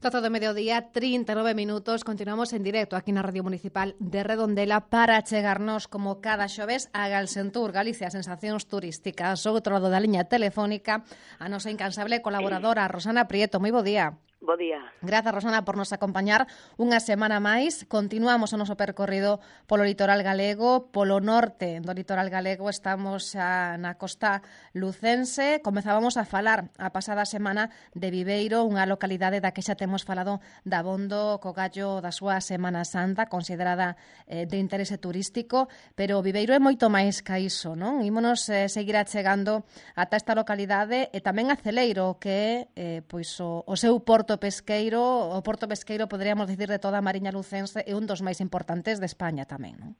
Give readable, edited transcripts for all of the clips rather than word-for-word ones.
12 do mediodía, 39 minutos. Continuamos en directo aquí na Radio Municipal de Redondela para chegarnos como cada xoves a Galsentur, Galicia, sensacións turísticas. O outro lado da liña telefónica, a nosa incansable colaboradora, Rosana Prieto. Moi bo día. Bo día. Grazas, Rosana, por nos acompañar unha semana máis. Continuamos o noso percorrido polo litoral galego. Polo norte do litoral galego estamos na costa lucense. Comezábamos a falar a pasada semana de Viveiro, unha localidade da que xa temos falado dabondo co gallo da súa Semana Santa, considerada de interese turístico, pero Viveiro é moito máis ca iso, non? Ímonos seguir achegando ata esta localidade e tamén a Celeiro, que é pois o seu porto pesqueiro, o porto pesqueiro, poderíamos dicir, de toda a Mariña lucense, é un dos máis importantes de España tamén, non?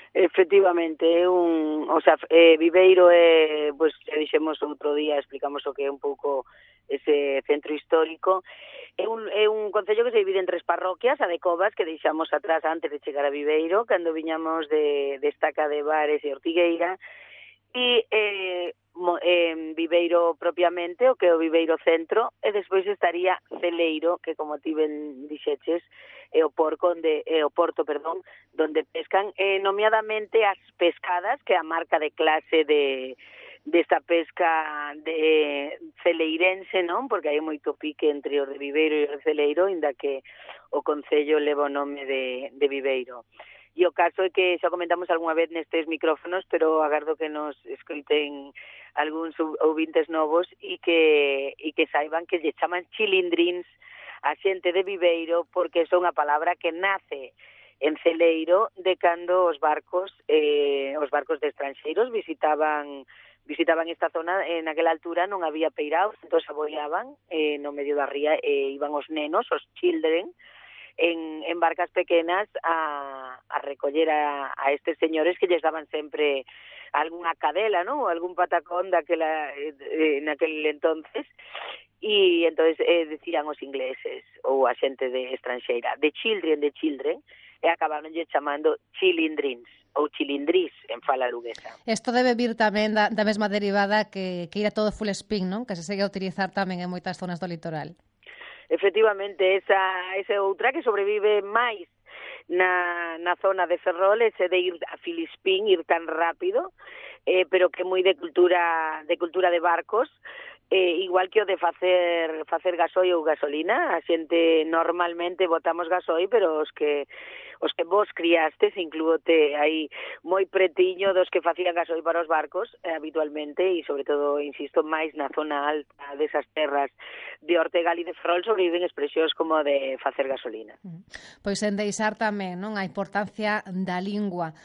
Efectivamente, Viveiro é, pois, xa dixemos outro día, explicamos o que é un pouco ese centro histórico. É un concello que se divide en 3 parroquias, a de Covas, que deixamos atrás antes de chegar a Viveiro, cando viñamos de Estaca de Bares e Ortigueira, e Viveiro propiamente, o que é o Viveiro Centro, e despois estaría Celeiro, que como ti ben dixeches, é o porto, donde pescan, nomeadamente as pescadas, que é a marca de clase desta pesca de celeirense, non? Porque hai moito pique entre o de Viveiro e o de Celeiro, inda que o concello leva o nome de Viveiro. E o caso é que xa comentamos algunha vez nestes micrófonos, pero agardo que nos escoiten algúns ouvintes novos e que saiban que lle chaman chilindrins a xente de Viveiro porque é unha palabra que nace en Celeiro de cando os barcos de estranxeiros visitaban esta zona. En aquela altura non había peiraos, entón aboiaban no medio da ría e iban os nenos, os children, en barcas pequenas a recoller a estes señores que lles daban sempre algunha cadela, ¿no? Ou algún patacón naquel entonces, e entonces decían os ingleses ou a xente de estranxeira, de children, e acabaron chamando chilindrins ou chilindrís en fala luguesa. Isto debe vir tamén da mesma derivada que ira todo full spin, non? Que se segue a utilizar tamén en moitas zonas do litoral. Efectivamente, esa outra que sobrevive máis na zona de Ferrol, ese de ir a Filispín, ir tan rápido, pero que é moi de cultura de barcos, igual que o de facer gasoi ou gasolina. A xente normalmente botamos gasoi, pero os que vos criastes, inclúote aí moi pretiño dos que facían gasoi para os barcos habitualmente, e sobre todo, insisto, máis na zona alta desas terras de Ortegal e de Ferrol sobreviven expresións como de facer gasolina. Pois en deixar tamén, non, a importancia da lingua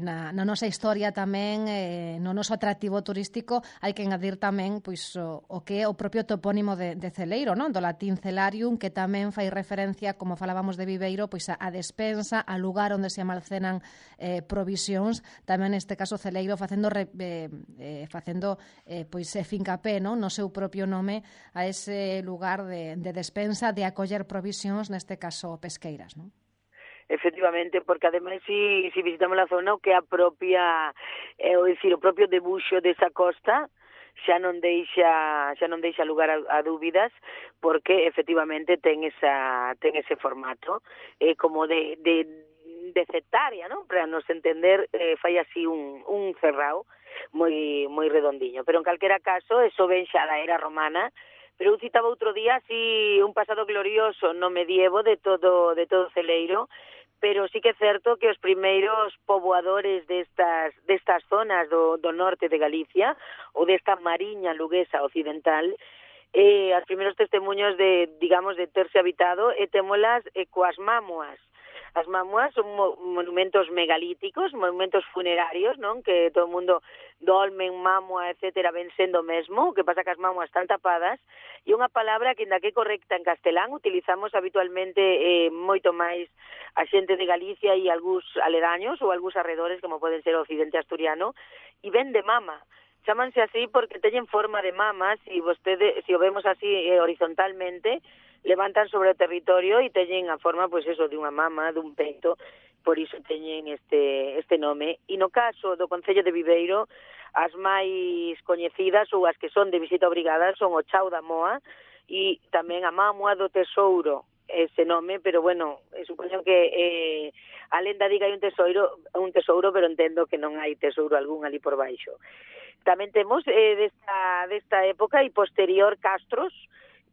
na nosa historia tamén, no noso atractivo turístico, hai que engadir tamén pois o que é o propio topónimo de Celeiro, non? Do latín celarium, que tamén fai referencia, como falábamos de Viveiro, pois a despensa, a lugar onde se almacenan provisións, tamén neste caso Celeiro facendo fincapé, non? No seu propio nome a ese lugar de despensa, de acoller provisións, neste caso pesqueiras, non? Efectivamente, porque ademais si visitamos a zona, o que o propio debuxo desa costa xa non deixa lugar a dúbidas, porque efectivamente ten ese formato como de cetaria, non? Para nos entender, fai así un cerrao moi redondiño, pero en calquera caso eso ven xa da era romana. Pero eu citaba outro día así un pasado glorioso no medievo de todo Celeiro, pero sí que é certo que os primeiros poboadores destas zonas do norte de Galicia ou desta mariña luguesa occidental, os primeiros testemunhos de terse habitado, témolas coas mámoas. As mámoas son monumentos megalíticos, monumentos funerarios, non? Que todo o mundo dolmen, mámoa, etcétera, ven sendo mesmo. O que pasa que as mámoas están tapadas, e unha palabra que, ainda que correcta en castelán, utilizamos habitualmente moito máis a xente de Galicia e algúns aledaños ou algúns arredores, como poden ser o occidente asturiano, e ven de mama. Chámanse así porque teñen forma de mamas, e se o vemos así horizontalmente, levantan sobre o territorio e teñen a forma, pois eso, de unha mama, dun peito, por iso teñen este nome. E no caso do concello de Viveiro, as máis coñecidas ou as que son de visita obrigada son o Chao da Moa e tamén a Mámoa do Tesouro, ese nome, pero bueno, supoño que a lenda diga hai un tesouro, pero entendo que non hai tesouro algún ali por baixo. Tamén temos desta época e posterior castros,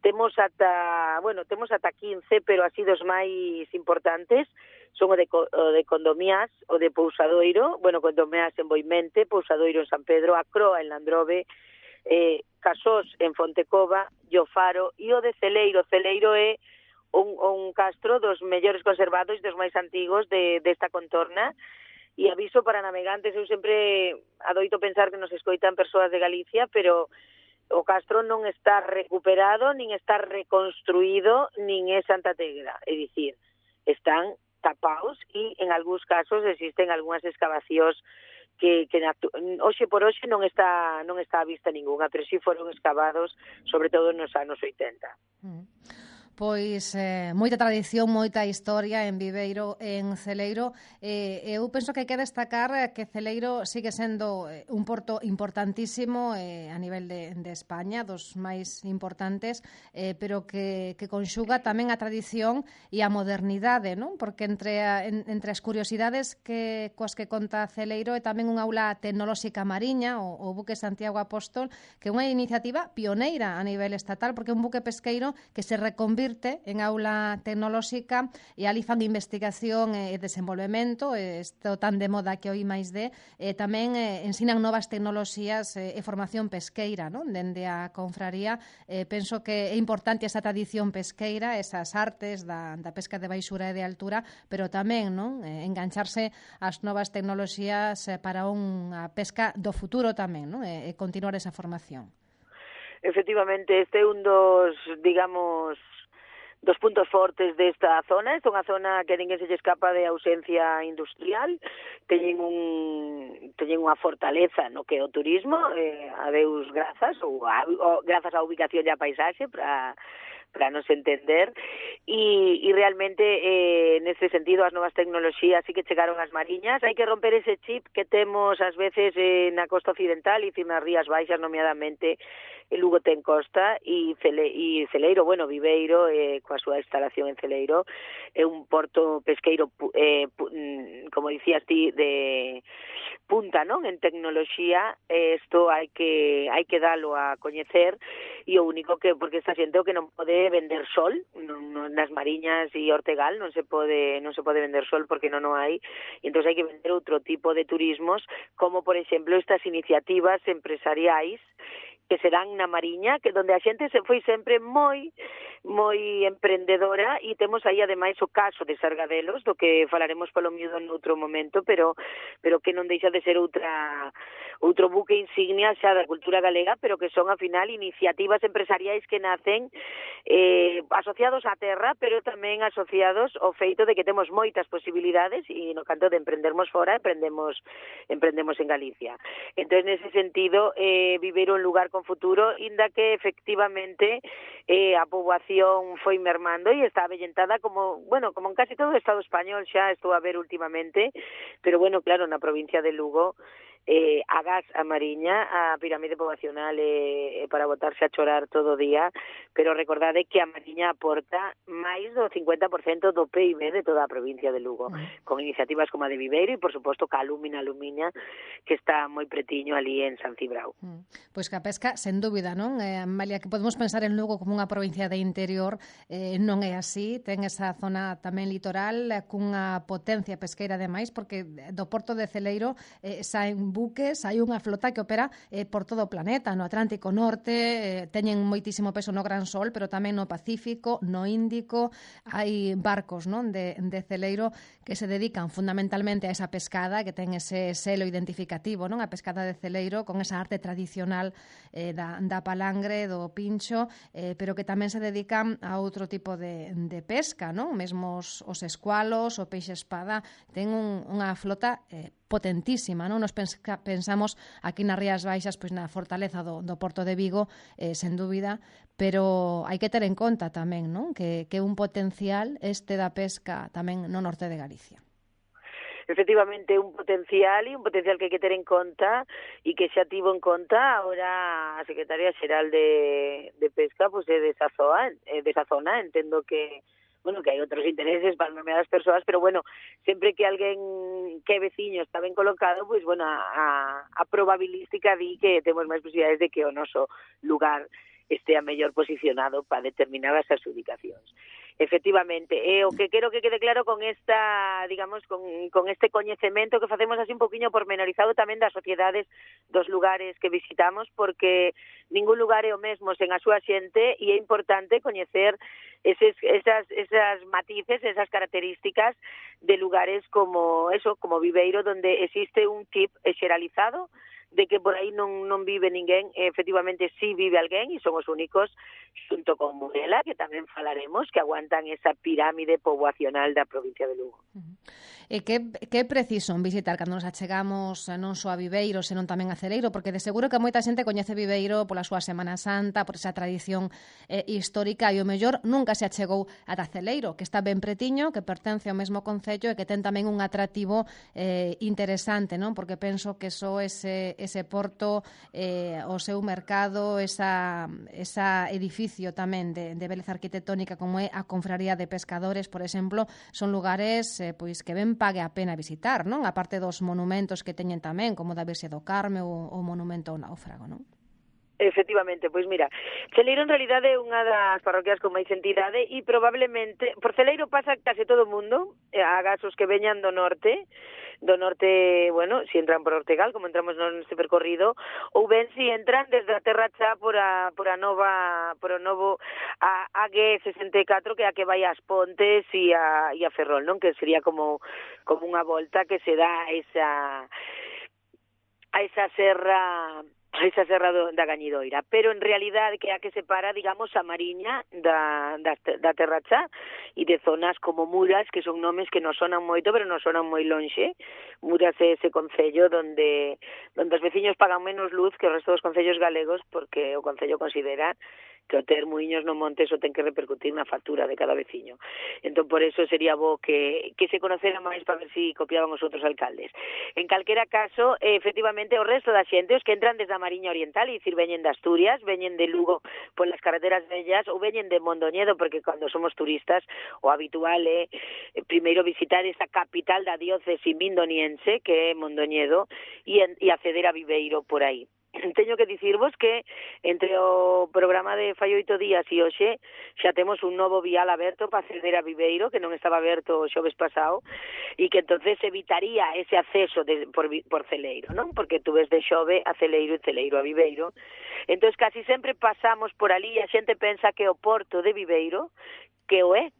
temos ata 15, pero así dos máis importantes son o de Condomiás, o de Pousadoiro, Condomiás en Boimente, Pousadoiro en San Pedro, a Croa en Landrove, Casós en Fontecova, e o Faro, e o de Celeiro. Celeiro é un castro dos mellores conservados e dos máis antigos desta contorna. E aviso para navegantes, eu sempre adoito pensar que nos escoitan persoas de Galicia, pero o castro non está recuperado, nin está reconstruído, nin é Santa Tegra. É dicir, están tapados e en algúns casos existen algunhas excavacións que hoxe por hoxe non está a vista ninguna, pero si foron excavados, sobre todo nos anos 80. Pois moita tradición, moita historia en Viveiro, en Celeiro. Eu penso que hai que destacar que Celeiro sigue sendo un porto importantísimo a nivel de España, dos máis importantes, pero que conxuga tamén a tradición e a modernidade, non? Porque entre as curiosidades coas que conta Celeiro é tamén unha aula tecnolóxica mariña, o buque Santiago Apóstol, que é unha iniciativa pioneira a nivel estatal, porque é un buque pesqueiro que se reconvirte en aula tecnolóxica e ali fan investigación e desenvolvemento, isto tan de moda que hoy máis tamén ensinan novas tecnoloxías e formación pesqueira, non? Dende a confraría, penso que é importante esa tradición pesqueira, esas artes da pesca de baixura e de altura, pero tamén, non? Engancharse ás novas tecnoloxías para unha pesca do futuro tamén, non? E continuar esa formación. Efectivamente, este é un dos puntos fortes desta zona. Esta é unha zona que ninguén se lle escapa de ausencia industrial, teñen unha fortaleza no que é o turismo, a Deus grazas, ou grazas á ubicación e á paisaxe, para nos entender, e realmente neste sentido as novas tecnoloxías sí que chegaron ás mariñas. Hai que romper ese chip que temos ás veces na costa occidental e nas Rías Baixas, nomeadamente Lugo ten costa e Celeiro, Viveiro, coa súa instalación en Celeiro, é un porto pesqueiro, como dicías ti, de punta, non? En tecnoloxía, isto hai que dalo a coñecer, e o único porque esta xente o que non pode vender sol, nas mariñas e Ortegal non se pode vender sol porque non o hai, e entón hai que vender outro tipo de turismos, como por exemplo estas iniciativas empresariais que serán na Mariña, que donde a xente se foi sempre moi emprendedora, e temos aí ademais o caso de Sargadelos, do que falaremos polo miúdo noutro momento, pero que non deixa de ser outro buque insignia xa da cultura galega, pero que son, ao final, iniciativas empresariais que nacen asociados á terra, pero tamén asociados ao feito de que temos moitas posibilidades, e no canto de emprendermos fora, emprendemos en Galicia. Entón, nese sentido, Viveiro un lugar con futuro, inda que efectivamente a poboación foi mermando e está avellentada como en casi todo o Estado español, xa estou a ver últimamente, pero claro, na provincia de Lugo agás a Mariña, a pirámide poboacional para botarse a chorar todo o día, pero recordade que a Mariña aporta máis do 50% do PIB de toda a provincia de Lugo, con iniciativas como a de Viveiro e, por suposto, Calumina Alumiña, que está moi pretiño ali en San Cibrao. Pois que a pesca, sen dúbida, non? Amalia, que podemos pensar en Lugo como unha provincia de interior, non é así, ten esa zona tamén litoral, cunha potencia pesqueira ademais, porque do porto de Celeiro saen buques, hai unha flota que opera por todo o planeta, no Atlántico Norte, teñen moitísimo peso no Gran Sol, pero tamén no Pacífico, no Índico, hai barcos, non, de Celeiro que se dedican fundamentalmente a esa pescada, que ten ese selo identificativo, non, a pescada de Celeiro, con esa arte tradicional da palangre, do pincho, pero que tamén se dedican a outro tipo de pesca, non, mesmo os escualos, o peixe espada, ten unha flota potentísima, non? Nos pensamos aquí nas Rías Baixas, pois na fortaleza do Porto de Vigo, sen dúbida, pero hai que ter en conta tamén, non? Que un potencial da pesca tamén no norte de Galicia. efectivamente un potencial que hai que ter en conta e que xa tivo en conta ahora a Secretaria Xeral de Pesca, pois desa zona, entendo que bueno, que hai outros intereses para nomeadas persoas, pero bueno, sempre que alguén que é veciño está ben colocado, pois bueno, a probabilística di que temos máis posibilidades de que o noso lugar estea mellor posicionado para determinadas adjudicacións. Efectivamente, o que quero que quede claro con esta, digamos, con este coñecemento que facemos así un poquinho pormenorizado tamén das sociedades dos lugares que visitamos, porque ningún lugar é o mesmo sen a súa xente e é importante coñecer esas matices, esas características de lugares como Viveiro, donde existe un chip xeralizado de que por aí non vive ninguén, efectivamente sí vive alguén e son os únicos, xunto con Murela, que tamén falaremos, que aguantan esa pirámide poboacional da provincia de Lugo. E que é preciso visitar cando nos achegamos non só a Viveiro, senón tamén a Celeiro, porque de seguro que moita xente coñece Viveiro pola súa Semana Santa, por esa tradición histórica, e o mellor nunca se achegou ata Celeiro, que está ben pretiño, que pertence ao mesmo concello e que ten tamén un atractivo interesante, non? Porque penso que só ese porto, o seu mercado, esa edificio tamén de beleza arquitectónica como é a Confraría de Pescadores, por exemplo, son lugares pois que ben pague a pena visitar, non? A parte dos monumentos que teñen tamén, como da Virxe do Carme ou o monumento ao náufrago, non? Efectivamente, pois mira, Celeiro en realidade é unha das parroquias con máis entidade e probablemente, por Celeiro pasa case todo o mundo, agás os que veñan do norte, bueno, si entran por Ortegal, como entramos neste percorrido, ou ben si entran desde a Terra Chá por o novo AG64, que é a que vai ás Pontes e a Ferrol, non? Que sería como unha volta que se dá a esa serra da Gañidoira, pero en realidade que é a que separa, digamos, a Mariña da Terra Chá e de zonas como Muras, que son nomes que non sonan moito, pero non sonan moi lonxe. Muras é ese concello donde os veciños pagan menos luz que o resto dos concellos galegos, porque o concello considera que o ter muiños no monte eso ten que repercutir na factura de cada veciño. Entón, por eso sería bo que se conocera máis para ver si copiaban os outros alcaldes. En calquera caso, efectivamente, o resto da xente, os que entran desde a Mariña Oriental, e dicir, veñen de Asturias, veñen de Lugo polas carreteras vellas, ou veñen de Mondoñedo, porque cando somos turistas, o habitual é primeiro visitar esa capital da diócese mindoniense, que é Mondoñedo, e acceder a Viveiro por aí. Teño que dicirvos que entre o programa de fai 8 días e hoxe xa temos un novo vial aberto para acceder a Viveiro, que non estaba aberto o xoves pasado, e que entonces evitaría ese acceso por Celeiro, non? Porque tú ves de Xove a Celeiro e Celeiro a Viveiro. Entón casi sempre pasamos por ali e a xente pensa que o porto de Viveiro, que o é,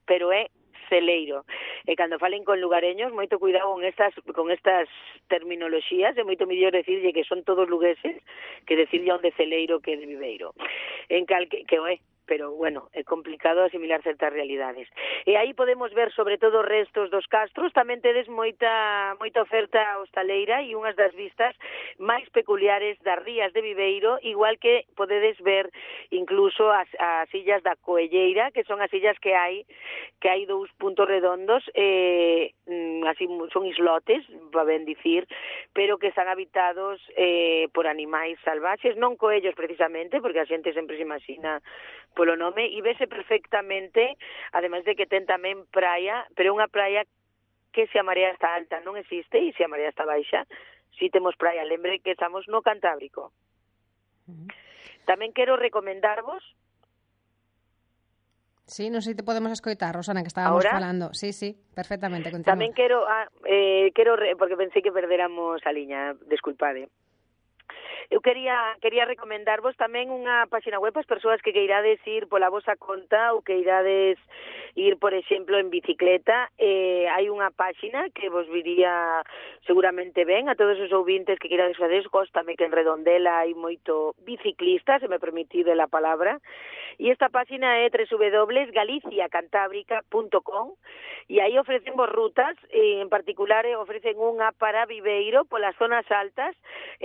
pero é Celeiro. E cando falen con lugareños, moito cuidado con estas terminoloxías, é moito mellor decirlle que son todos lugueses que decirlle onde Celeiro que de Viveiro. Que o é, pero bueno, é complicado asimilar certas realidades. E aí podemos ver sobre todo restos dos castros, tamén tedes moita oferta hostaleira e unhas das vistas máis peculiares das rías de Viveiro, igual que podedes ver incluso as illas da Coelleira, que son as illas que hai 2 puntos redondos, así son islotes, va ben dicir, pero que están habitados por animais salvaxes, non coellos precisamente, porque a xente sempre se imagina polo nome, e vese perfectamente, ademais de que ten tamén praia, pero unha praia que se a marea está alta non existe, e se a marea está baixa, si temos praia. Lembre que estamos no Cantábrico. Tamén quero recomendarvos. Sí, non sei se te podemos escoitar, Rosana, que estábamos falando. Sí, perfectamente. Continúa. Tamén quero porque pensei que perderamos a liña, desculpade. Eu quería recomendarvos tamén unha páxina web para as persoas que queirades ir pola vosa conta ou que irades ir, por exemplo, en bicicleta. Hai unha páxina que vos viría seguramente ben a todos os ouvintes que queirades fazer. Góstame que en Redondela hai moito biciclista, se me permitido a palabra. E esta páxina é www.galiciacantábrica.com e aí ofrecen vos rutas, en particular ofrecen unha para Viveiro polas zonas altas,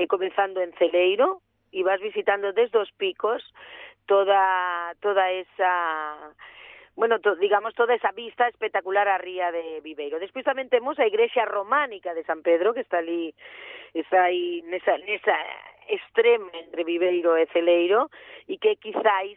comenzando en Celeiro, e vas visitando desde os picos toda esa bueno, digamos toda esa vista espectacular á ría de Viveiro. Despois tamén temos a igrexa románica de San Pedro, que está ali, está aí nesa extrema entre Viveiro e Celeiro, e que quizáis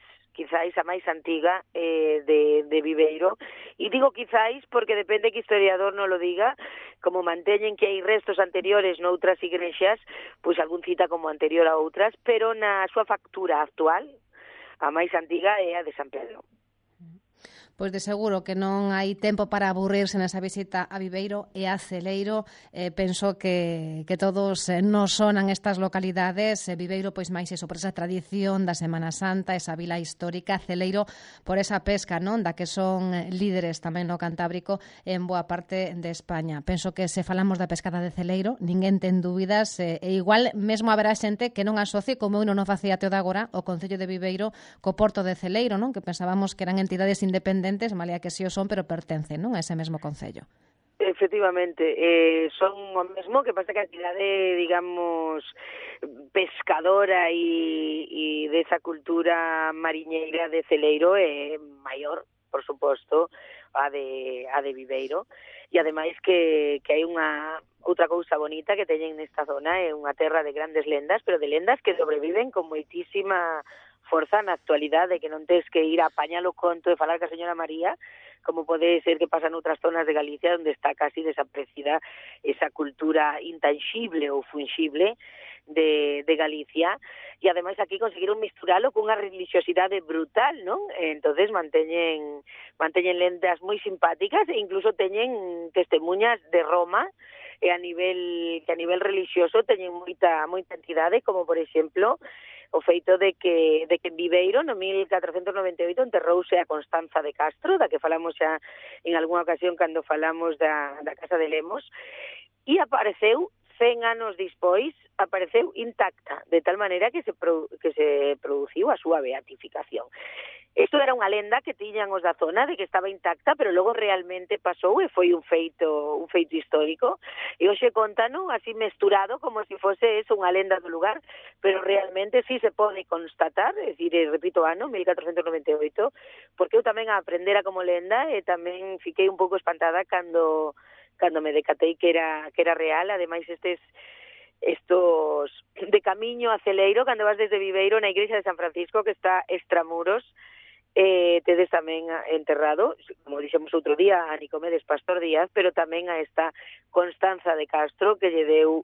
a máis antiga de Viveiro. E digo quizáis porque depende que historiador non lo diga, como manteñen que hai restos anteriores noutras igrexas, pois algún cita como anterior a outras, pero na súa factura actual, a máis antiga é a de San Pedro. Pois de seguro que non hai tempo para aburrirse nesa visita a Viveiro e a Celeiro. Penso que todos nos sonan estas localidades. Viveiro, pois máis iso, por esa tradición da Semana Santa, esa vila histórica. Celeiro, por esa pesca, non, da que son líderes tamén no Cantábrico en boa parte de España. Penso que se falamos da pescada de Celeiro, ninguén ten dúbidas, e igual mesmo haberá xente que non asocie, como eu non facía até o de agora, o Concello de Viveiro co Porto de Celeiro, non, que pensábamos que eran entidades independentes, malia que si o son, pero pertencen, non, a ese mesmo concello. Efectivamente, son o mesmo, que pasa que a entidade, digamos, pescadora e desa cultura mariñeira de Celeiro é maior, por suposto, a de Viveiro, e ademais que hai unha outra cousa bonita que teñen nesta zona, é unha terra de grandes lendas, pero de lendas que sobreviven con moitísima forza na actualidade, que non tes que ir a apañar o conto e falar ca señora María, como pode ser que pasa noutras zonas de Galicia onde está casi desaparecida esa cultura intangible ou fungible de Galicia, e ademais aquí conseguiron misturalo cunha religiosidade brutal, non? Entonces manteñen lendas moi simpáticas e incluso teñen testemunhas de Roma, e a nivel religioso teñen moita entidade, como por exemplo o feito de que en Viveiro no 1498 enterrouse a Constanza de Castro, da que falamos xa en algunha ocasión cando falamos da Casa de Lemos, e apareceu 100 anos despois, apareceu intacta, de tal maneira que se produciu a súa beatificación. Isto era unha lenda que tiñan os da zona de que estaba intacta, pero logo realmente pasou e foi un feito histórico. E hoxe contano así mesturado como se fose eso unha lenda do lugar, pero realmente sí se pode constatar, é dicir, repito, ano 1498, porque eu tamén a aprendera como lenda e tamén fiquei un pouco espantada cando me decatei que era real. Ademais estos de camiño a Celeiro, cando vas desde Viveiro na igrexa de San Francisco, que está extramuros, tedes tamén enterrado, como dixemos outro día, a Nicomedes Pastor Díaz, pero tamén a esta Constanza de Castro, que lle deu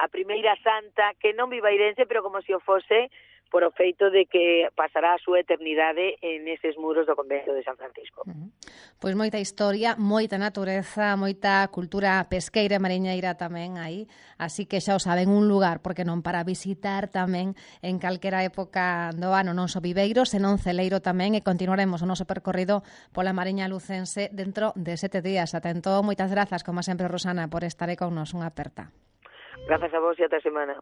a primeira santa, que non vivairense, pero como se o fose, por o feito de que pasará a súa eternidade en eses muros do convento de San Francisco. Pois moita historia, moita natureza, moita cultura pesqueira e mariñeira tamén aí, así que xa o saben, un lugar, porque non, para visitar tamén en calquera época do ano, non só Viveiro, senón Celeiro tamén, e continuaremos o noso percorrido pola Mariña Lucense dentro de 7 días. Ata entón, moitas grazas, como sempre, Rosana, por estar aí con nos. Unha aperta. Grazas a vos e ata a semana.